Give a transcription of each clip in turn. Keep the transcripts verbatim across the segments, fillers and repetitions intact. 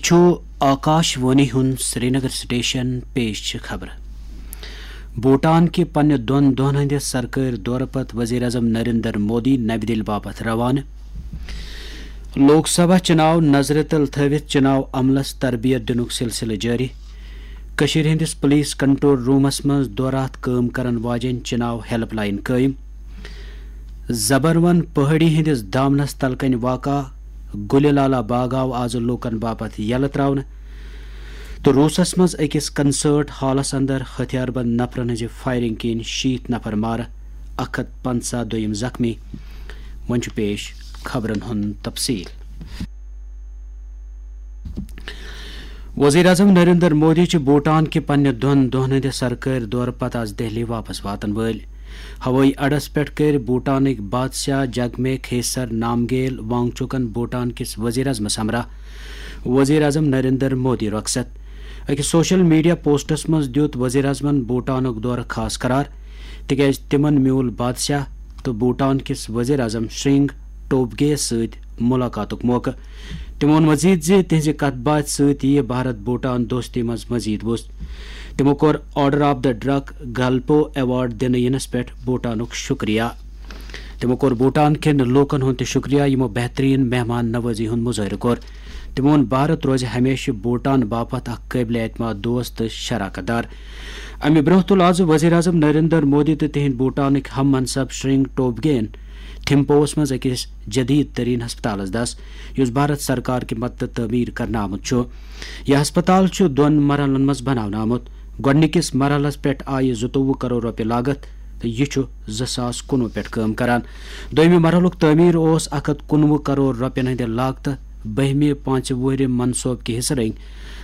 چھُ آکاش وانی ہُنٛد سرینگر سٹیشن۔ پیش چھِ خبرٕ۔ بھوٹان کہِ پننہِ دۄن دۄہن ہٕنٛدِ سرکٲرۍ دورٕ پتہٕ وزیر اعظم نریندر مودی نَوِ دِلہِ باپتھ روانہٕ۔ لوک سبھا چُناو نظرِ تل تھٲوِتھ چُناو عملس تربیت دِنُک سلسلہٕ جٲری۔ کٔشیٖرِ ہٕنٛدِس پُلیٖس کنٹرول روٗمس منٛز دورٕ ہتھ کٲم کرن واجیٚنۍ چُناو ہیلپ لاین قٲیِم۔ زبروَن پہٲڑی ہٕنٛدِس دامنس تل کنہِ واقع گُلہِ لالا باغ آو آز لوٗکن باپتھ یلہٕ ترٛاونہٕ۔ تہٕ روٗسس منٛز أکِس کنسرٹ ہالس اندر ہتھیار بند نفرن ہٕنٛزِ فایرنگ کِنۍ شیٖتھ نفر مارٕ، اکھ ہتھ پنژاہ دوٚیِم زخمی۔ وۄنۍ چھُ پیش خبرن ہُنٛد تفصیل۔ وزیر اعظم نریندر مودی چھُ بھوٹان کہِ پننہِ دۄن دۄہن ہٕنٛدِ سرکٲرۍ دورٕ پتہٕ آز دہلی واپس واتن وٲلۍ۔ ہوٲیی اڈس پٮ۪ٹھ کٔرۍ بھوٹانٕکۍ بادشاہ جگمے کھیسر نامگیل وانگچوکن بھوٹان کِس وزیر اعظمس ہمراہ وزیر اعظم نریندر مودی رۄخصت۔ أکِس سوشل میڈیا پوسٹس منٛز دیُت وزیر اعظمن بھوٹانُک دورٕ خاص قرار، تِکیازِ تِمن میوٗل بادشاہ تہٕ بھوٹان کِس وزیر اعظم شرنگ ٹوبگے یَس سۭتۍ مُلاقاتُک موقعہٕ۔ تِمو ووٚن مزید زِ تِہنٛزِ کتھ باتھِ سۭتۍ یِیہِ بھارت بھوٹان دوستی منٛز مزید وُژھ۔ تِمو کوٚر order of the Druk گلپو award دِنہٕ یِنس پٮ۪ٹھ بھوٹانُک شُکریہ۔ تِمو کوٚر بھوٹان کٮ۪ن لوٗکن ہُنٛد تہِ شُکریہ، یِمو بہتریٖن مہمان نوٲزی ہُنٛد مُظٲہرٕ کوٚر۔ تِمو ووٚن، بھارت روزِ ہمیشہِ بھوٹان باپتھ اکھ قٲبلِ اعتماد دوست تہٕ شراکت دار۔ امہِ برٛونٛہہ تُل آز وزیر اعظم نریندر مودی تہٕ تِہنٛدۍ بھوٹانٕکۍ ہم منصب شرنگ ٹوبگے یَن تھمپووَس منٛز أکِس جدید ترین ہسپتالس دس، یُس بھارت سرکار کہِ مدتہٕ تعمیٖر کرنہٕ آمُت چھُ۔ یہِ ہسپتال چھُ دۄن مرحلن منٛز بناونہٕ آمُت۔ گۄڈٕنِکِس مرحلس پٮ۪ٹھ آیہِ زٕتووُہ کرور رۄپیہِ لاگت تہٕ یہِ چھُ زٕ ساس کُنوُہ پٮ۪ٹھ کٲم کران۔ دوٚیمہِ مرحلُک تعمیٖر اوس اکھ ہتھ کُنوُہ کرور رۄپین ہٕنٛدِ لاگتہٕ بٔہمہِ پانٛژِ وُہرِ منصوبہٕ کہِ حصہٕ رٔنگۍ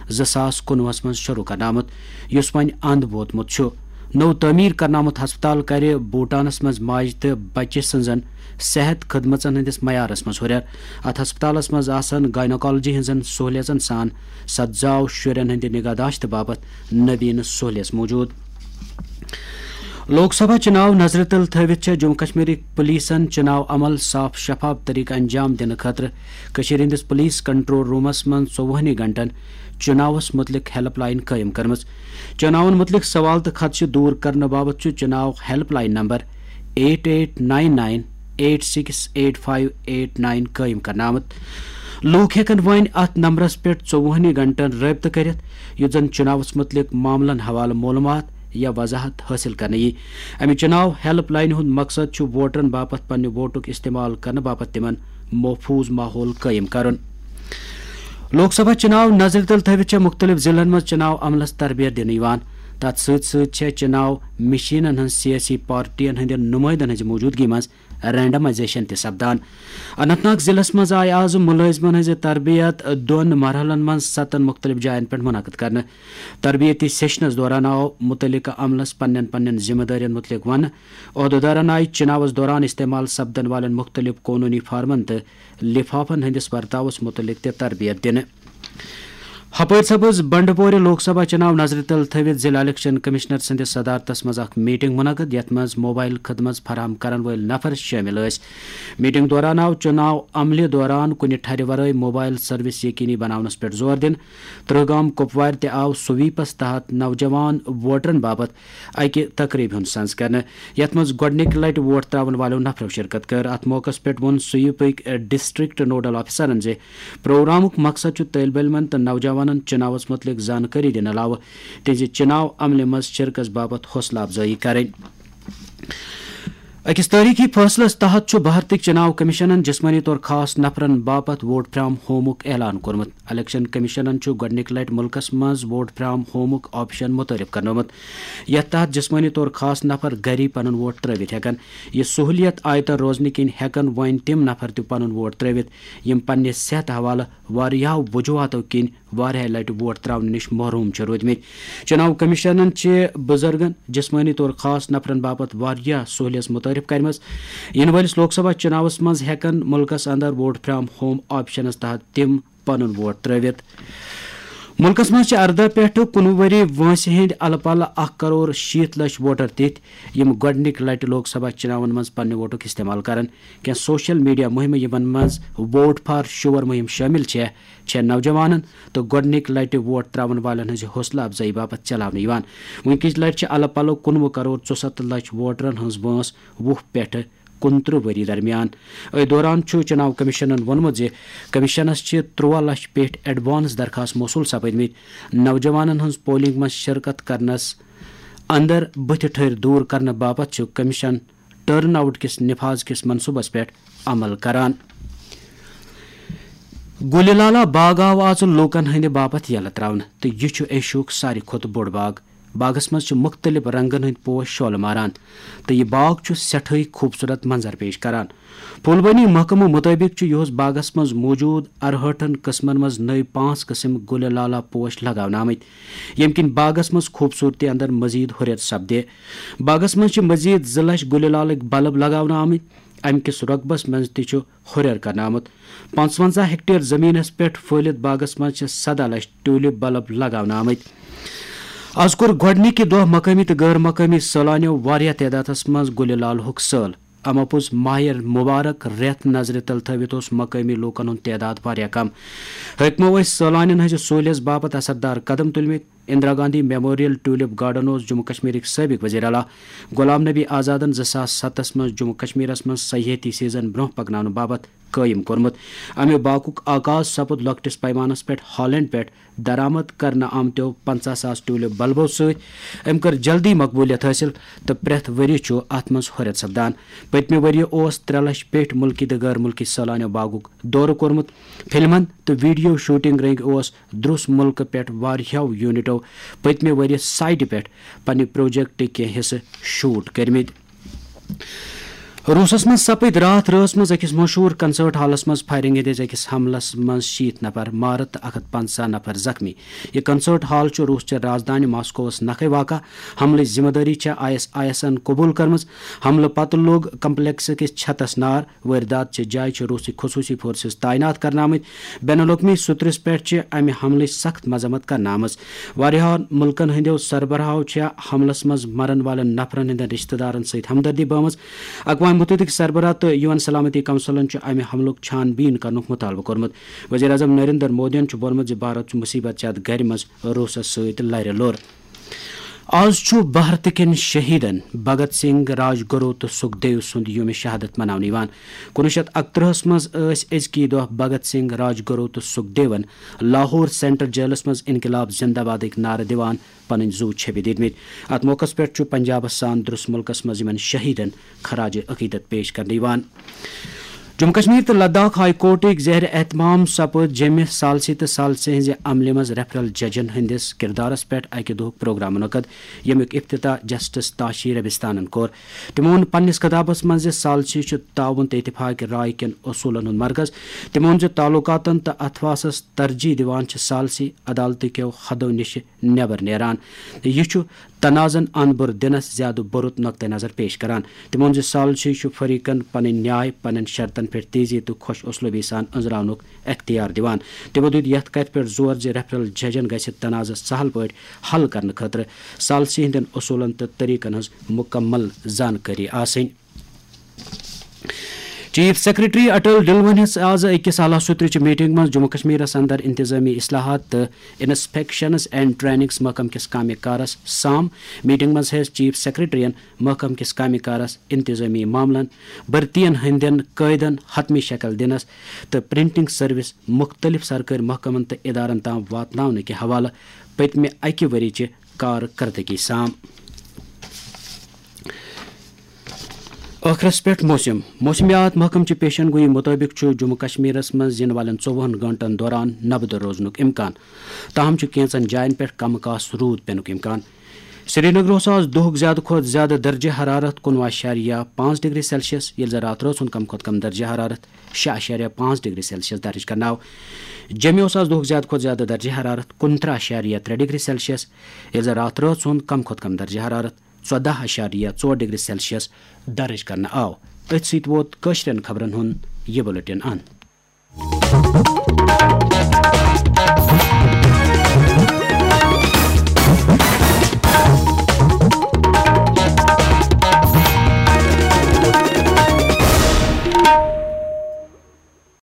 زٕ ساس کُنوُہس منٛز شروٗع کرنہٕ آمُت، یُس وۄنۍ اند ووتمُت چھُ۔ نوٚو تعمیٖر کرنہٕ آمُت ہسپتال کرِ بھوٹانس منٛز ماجہِ تہٕ بچہِ سٕنٛزن صحت خدمژن ہٕنٛدِس معیارس منٛز ہُرٮ۪ر۔ اتھ ہسپتالس منٛز آسن گائنوکالوجی ہٕنٛزن سہولیژن سان ستزاو شُرٮ۪ن ہٕنٛدِ نگہداشت باپتھ نویٖن سہولیژ موجود۔ لوک سبھا چُناو نظرِ تل تھٲوِتھ چھےٚ جموں کشمیرٕکۍ پُلیٖسن چُناو عمل صاف شفاف طریقہٕ انجام دِنہٕ خٲطرٕ کٔشیٖرِ ہٕنٛدِس پُلیٖس کنٹرول روٗمس منٛز ژوٚوُہنٕے گھنٹن چُناوس مُتعلق ہیلپ لاین قٲیِم کٔرمٕژ۔ چُناون مُتعلق سوال تہٕ خدشہٕ دوٗر کرنہٕ باپتھ چھُ چُناو helpline number eight eight nine nine eight six eight five eight nine قٲیِم کرنہٕ آمُت۔ لوٗکھ ہٮ۪کن وۄنۍ اتھ نمبرس پٮ۪ٹھ ژوٚوُہنٕے گھنٹن رٲبطہٕ کٔرِتھ، یُتھ زن چُناوس مُتعلق معاملن حوالہٕ معلوٗمات یا وضاحت حٲصِل کرنہٕ یی۔ امہِ چُناو ہیلپ لاینہِ ہُنٛد مقصد چھُ ووٹرن باپتھ پننہِ ووٹُک استعمال کرنہٕ باپتھ تِمن محفوٗظ ماحول قٲیِم کرُن۔ لوک سبھا چُناو نظرِ تل تھٲوِتھ چھےٚ مُختٔلِف ضلعن منٛز چُناو عملس تربیت دِنہٕ یِوان۔ تَتھ سۭتۍ سۭتۍ چھےٚ چُناو مِشینن ہٕنٛز سیٲسی پارٹین ہٕنٛدٮ۪ن نُمٲیندن ہٕنٛزِ موٗجوٗدگی منٛز رینڈمائزیشن تہِ سپدان۔ اننت ناگ ضلعس منٛز آیہِ آز مُلٲزمن ہٕنٛزِ تربیت دۄن مرحلن منٛز ستن مُختٔلِف جاین پٮ۪ٹھ منعقد کرنہٕ۔ تربیتی سیشنس دوران آو مُتعلقہٕ عملس پننٮ۪ن پننٮ۪ن ذمہٕ دٲرین مُتعلق وننہٕ۔ عہدٕدارن آیہِ چُناوس دوران استعمال سپدن والٮ۪ن مُختٔلِف قونوٗنی فارمن تہٕ لفافن ہٕنٛدِس ورتاوس مُتعلق تہِ تربیت دِنہٕ۔ ہپٲرۍ سپٕز بنڈپورِ لوک سبھا چُناو نظرِ تل تھٲوِتھ ضلع الیکشن کمشنر سٕنٛدِس صدارتس منٛز اکھ میٹنگ منعقد، یتھ منٛز موبایل خدمت فراہم کرن وٲلۍ نفر شٲمِل ٲسۍ۔ میٹنگ دوران آو چُناو عملہِ دوران کُنہِ ٹھرِ ورٲے موبایل سروس یقینی بناونس پٮ۪ٹھ زور دِنہٕ۔ ترٛہ گام کپوارِ تہِ آو سویپس تحت نوجوان ووٹرن باپتھ اکہِ تقریبہِ ہُنٛد سنز کرنہٕ، یتھ منٛز گۄڈٕنِکہِ لٹہِ ووٹ ترٛاون والٮ۪و نفرو شرکت کٔر۔ اتھ موقعس پٮ۪ٹھ ووٚن سویپٕکۍ ڈسٹرکٹ نوڈل آفیسرن زِ پروگرامُک مقصد چھُ طٲلبہِ علمن تہٕ نوجوانن چُناوس مُتعلق زانکٲری دِنہٕ علاوٕ تِہنٛزِ چُناو عملہِ منٛز شرکس باپتھ حوصلہٕ افزٲیی کرٕنۍ۔ أکِس تٲریٖخی فٲصلَس تحت چھُ بھارتٕکۍ چُناو کمیشنَن جسمٲنی طور خاص نفرَن باپتھ ووٹ فرام ہومُک اعلان کوٚرمُت۔ الیکشن کمیشنَن چھُ گۄڈٕنِکہِ لٹہِ مُلکَس منٛز ووٹ فرام ہومُک آپشن مُتعارف کرنومُت، یَتھ تحت جسمٲنی طور خاص نفر گَری پنُن ووٹ ترٛٲوِتھ ہٮ۪کَن۔ یہِ سہوٗلیت آیتَن روزنہٕ کِنۍ ہٮ۪کَن وۄنۍ تِم نفر تہِ پنُن ووٹ ترٛٲوِتھ، یِم پننہِ صحتہٕ حوالہٕ واریاہو وجوہاتو کِنۍ واریاہہِ لٹہِ ووٹ ترٛاونہٕ نِش محروم چھِ روٗدمٕتۍ۔ چُناو کمیشنن چھِ بُزرگن، جسمٲنی طور خاص نفرن باپتھ واریاہ سہولیژ متعارف کرِمژ۔ یِنہٕ وٲلِس لوک سبھا چُناوس منٛز ہٮ۪کن مُلکس اندر ووٹ فرام ہوم آپشنس تحت تِم پنُن ووٹ ترٛٲوِتھ۔ مُلکَس منٛز چھِ اَرداہ پٮ۪ٹھ کُنوُہ ؤری وٲنٛسہِ ہٕنٛدۍ اَلہٕ پَلہٕ اَکھ کَرور شیٖتھ لَچھ ووٹر تِتھۍ، یِم گۄڈٕنِکہِ لَٹہِ لوک سبھا چُناون منٛز پننہِ ووٹُک استعمال کرن۔ کینٛہہ سوشل میڈیا مُہِمہٕ، یِمَن منٛز ووٹ فار شور مُہِم شٲمِل چھےٚ، چھےٚ نوجوانَن تہٕ گۄڈٕنِکہِ لَٹہِ ووٹ ترٛاوَن والٮ۪ن ہٕنٛزِ حوصلہٕ افزٲیی باپتھ چلاونہٕ یِوان۔ وٕنکِچ لَٹہِ چھِ اَلہٕ پَلہٕ کُنوُہ کَرور ژُسَتتھ لَچھ ووٹرَن ہٕنٛز وٲنٛس وُہ پٮ۪ٹھ کُنترٕہ ؤری درمیان۔ أتھۍ دوران چھُ چُناو کٔمِشنَن ووٚنمُت زِ کٔمِشنَس چھِ ترٛوَہ لَچھ پٮ۪ٹھ ایڈوانس درخاست موصوٗل سپٕدمٕتۍ۔ نوجوانَن ہٕنٛز پولنگ منٛز شرکت کرنَس اندر بٕتھِ ٹھٔرۍ دوٗر کرنہٕ باپتھ چھُ کٔمِشن ٹرن آؤٹ کِس نفاذ کِس منصوٗبس پٮ۪ٹھ عمل کران۔ گُلہِ لالا باغ آو آز لوٗکَن ہٕنٛدِ باپتھ یَلہٕ ترٛاونہٕ تہٕ یہِ چھُ ایشیاہُک ساروی کھۄتہٕ بوٚڑ باغ۔ باغس منٛز چھِ مُختٔلِف رنٛگن ہٕنٛدۍ پوش شولہٕ ماران تہٕ یہِ باغ چھُ سٮ۪ٹھٲے خوٗبصوٗرت منظر پیش کران۔ پھولبٲنی محکمہٕ مُطٲبِق چھُ یِہُس باغس منٛز موٗجوٗد اَرہٲٹھن قٕسمن منٛز نٔوۍ پانٛژھ قٕسم گُلہِ لالا پوش لگاونہٕ آمٕتۍ، ییٚمہِ کِنۍ باغس منٛز خوٗبصوٗرتی اندر مزید ہُرٮ۪ر سپدِ۔ باغس منٛز چھِ مزید زٕ لچھ گُلہِ لالٕکۍ بلب لگاونہٕ آمٕتۍ۔ امہِ کِس رۄقبس منٛز تہِ چھُ ہُرٮ۪ر کرنہٕ آمُت۔ پانٛژونزہ ہیکٹیر زٔمیٖنَس پٮ۪ٹھ پھٲلِتھ باغَس منٛز چھِ سداہ لَچھ ٹیوٗلِپ بلب لگاونہٕ آمٕتۍ۔ از کوٚر گۄڈٕنِکہِ دۄہ مقٲمی تہٕ غٲر مقٲمی سٲلانیو واریاہ تعدادَس منٛز گُلہِ لالہُک سٲل۔ اما پوٚز ماہِ مبارک رٮ۪تھ نظرِ تل تھٲوِتھ اوس مقٲمی لوٗکَن ہُنٛد تعداد واریاہ کم۔ حٲکمو ٲسۍ سٲلانٮ۪ن ہٕنٛزِ سہوٗلیژ باپتھ اثردار قدم تُلمٕتۍ۔ Indira Gandhi memorial tulip garden اوس جموں کشمیرٕکۍ سٲبق وزیر اعلیٰ غلام نبی آزادن زٕ ساس ستس منٛز جموں کشمیرس منٛز سیاحتی سیزن برونٛہہ پکناونہٕ باپتھ قٲیِم کوٚرمُت۔ امہِ باغُک آغاز سپُد لۄکٹِس پیمانس پٮ۪ٹھ ہالینڈ پٮ۪ٹھ درآمد کرنہٕ آمتیو پنژاہ ساس ٹیوٗلِپ بلبو سۭتۍ۔ أمۍ کٔر جلدی مقبولیت حٲصِل تہٕ پرٛٮ۪تھ ؤریہِ چھُ اتھ منٛز ہُرٮ۪ر سپدان۔ پٔتمہِ ؤریہِ اوس ترٛےٚ لچھ پٮ۪ٹھۍ مُلکی تہٕ غٲر مُلکی سٲلانیو باغُک دورٕ کوٚرمُت۔ فلمن تہٕ ویڈیو شوٹنگ رٔنگۍ اوس درُس مُلکہٕ پٮ۪ٹھ واریاہو یونٹو پٔتمہِ ؤریہِ سائٹہِ پٮ۪ٹھ پننہِ پروجیکٹٕکۍ کینٛہہ حصہٕ شوٹ کٔرمٕتۍ۔ روٗسَس منٛز سپٕدۍ راتھ رٲژ منٛز أکِس مشہوٗر کنسرٹ ہالَس منٛز فائرنگ ہٕنٛدِس أکِس حملَس منٛز شیٖتھ نفر مارٕ تہٕ اکھ ہتھ پنژاہ نفر زخمی۔ یہِ کنسرٹ ہال چھُ روٗس چہِ رازدانہِ ماسکووَس نکھَے واقع۔ حملٕچ ذمہٕ دٲری چھےٚ آئی ایس آئی ایسَن قبوٗل کٔرمٕژ۔ حملہٕ پتہٕ لوٚگ کمپلیکس کِس چھتَس نار۔ وٲرۍدات چہِ جایہِ چھِ روٗسی خصوٗصی فورسز تعینات کرنہٕ آمٕتۍ۔ بین الاقوٲمی سطرس پٮ۪ٹھ چھِ امہِ حملٕچ سخت مذمت کرنہٕ آمٕژ۔ واریاہن مُلکن ہٕنٛدیو سربراہو چھےٚ حملس منٛز مرن والٮ۪ن نفرن ہٕنٛدٮ۪ن رشتہٕ دارن سۭتۍ ہمدردی بٲومٕژ۔ اقوام متحدٕکۍ سربراہ تہٕ یو این سلامتی کونسلن چھُ امہِ حملُک چھان بیٖن کرنُک مطالبہٕ کوٚرمُت۔ وزیر اعظم نریندر مودیَن چھُ ووٚنمُت زِ بھارت چھُ مصیبت زد گرِ منٛز روٗسس سۭتۍ لرِ لوٚر۔ آز چھُ بھارتہٕ کٮ۪ن شہیدن بھگت سنگھ، راج گرو تہٕ سکھ دیو سُنٛد یوم شہادت مناونہٕ یِوان۔ کُنوُہ شیٚتھ اَکترٛہَس منٛز ٲسۍ أزکی دۄہ بھگت سنگھ، راج گرو تہٕ سکھ دیون لاہور سینٹرل جیلس منٛز انقلاب زندہ بادٕکۍ نعرٕ دِوان پنٕنۍ زُو چھٔپِتھ دِتمٕتۍ۔ اتھ موقعس پٮ۪ٹھ چھُ پنجابس سان درُس مُلکس منٛز یِمن شہیدن خراج عقیدت پیش کرنہٕ یِوان۔ جموں کشمیر تہٕ لداخ ہائی کورٹٕکۍ زیر اہتمام سپُد جیٚمہِ ثالثی تہٕ ثالثی ہٕنٛزِ عملہِ منٛز ریفرل ججن ہٕنٛدِس کردارس پٮ۪ٹھ اکہِ دۄہُک پروگرام منعقد، ییٚمیُک افتتاح جسٹس تاشی ربستانن کوٚر۔ تِمو ووٚن پننِس خطابس منٛز زِ ثالثی چھُ تعاون تہٕ اتفاق رائے کٮ۪ن اصوٗلن ہُنٛد مرکز۔ تِمو ووٚن زِ تعلقاتن تہٕ اتھواسس ترجیح دِوان چھِ ثالثی عدالتہٕ کٮ۪و حدو نِشہِ نٮ۪بر نیران۔ یہِ چھُ تنازعن اند بُر دِنس زیادٕ بُرُت نقطہ نظر پیش کران۔ تِمو ووٚن زِ ثالثی چھُ فریقن پنٕنۍ نیاے پننٮ۪ن شرطن پٮ۪ٹھ تیزی تہٕ خۄش اسلوبی سان أنٛزراونُک اختیار دِوان۔ تِمو دیُت یتھ کتھِ پٮ۪ٹھ زور زِ ریفرل ججن گژھِ تنازعہٕ سہل پٲٹھۍ حل کرنہٕ خٲطرٕ ثالثی ہٕنٛدٮ۪ن اصوٗلن تہٕ طریقن ہٕنٛز مُکمل زانکٲری آسٕنۍ۔ چیف سیکرٹری اٹل ڈلون ہٕنٛز آز أکِس اعلیٰ سطرٕچ میٹنگ منٛز جموں کشمیرس اندر انتظامی اصلاحات تہٕ انسپیکشنز اینڈ ٹریننگز محکمہٕ کِس کامہِ کارس سام۔ میٹنگ منٛز ہیٚژ چیف سیکرٹریَن محکمہٕ کِس کامہِ کارس، انتظٲمی معاملن، بھرتین ہٕنٛدٮ۪ن قٲیدن حتمی شکل دِنس تہٕ پرنٹنگ سروس مُختٔلِف سرکٲرۍ محکمن تہٕ ادارن تام واتناونہٕ کہِ حوالہٕ پٔتمہِ اکہِ ؤری چہِ کارکردگی سام۔ ٲخرس پٮ۪ٹھ موسم۔ موسمیات محکمہٕ چہِ پیشن گویی مُطٲبِق چھُ جموں کشمیرس منٛز یِنہٕ والٮ۪ن ژوٚوُہن گٲنٛٹن دوران نبدٕ روزنُک امکان، تاہم چھُ کینٛژن جاین پٮ۪ٹھ کم کاس روٗد پینُک امکان۔ سرینگرٕ اوس آز دۄہُک زیادٕ کھۄتہٕ زیادٕ درجہ حرارت کُنوُہ اعشاریہ پانٛژھ ڈگری سیلسیس، ییٚلہِ زن راتھ رٲژ ہُنٛد کم کھۄتہٕ کم درجہ حرارت شےٚ اعشاریہ پانٛژھ ڈگری سیلسیس درج کرنہٕ آو۔ جیٚمہِ اوس آز دۄہُک زیادٕ کھۄتہٕ زیادٕ درجہ حرارت کُنترٕہ اعشاریہ ترٛےٚ ڈگری سیلسیس، ییٚلہِ زن راتھ رٲژ ہُنٛد کم کھۄتہٕ کم درجہ حرارت ژۄداہ اعشاریہ ژور ڈگری سیلسیس درج کرنہٕ آو۔ أتھۍ سۭتۍ ووت کٲشرٮ۪ن خبرن ہُنٛد یہِ بُلٹن اند۔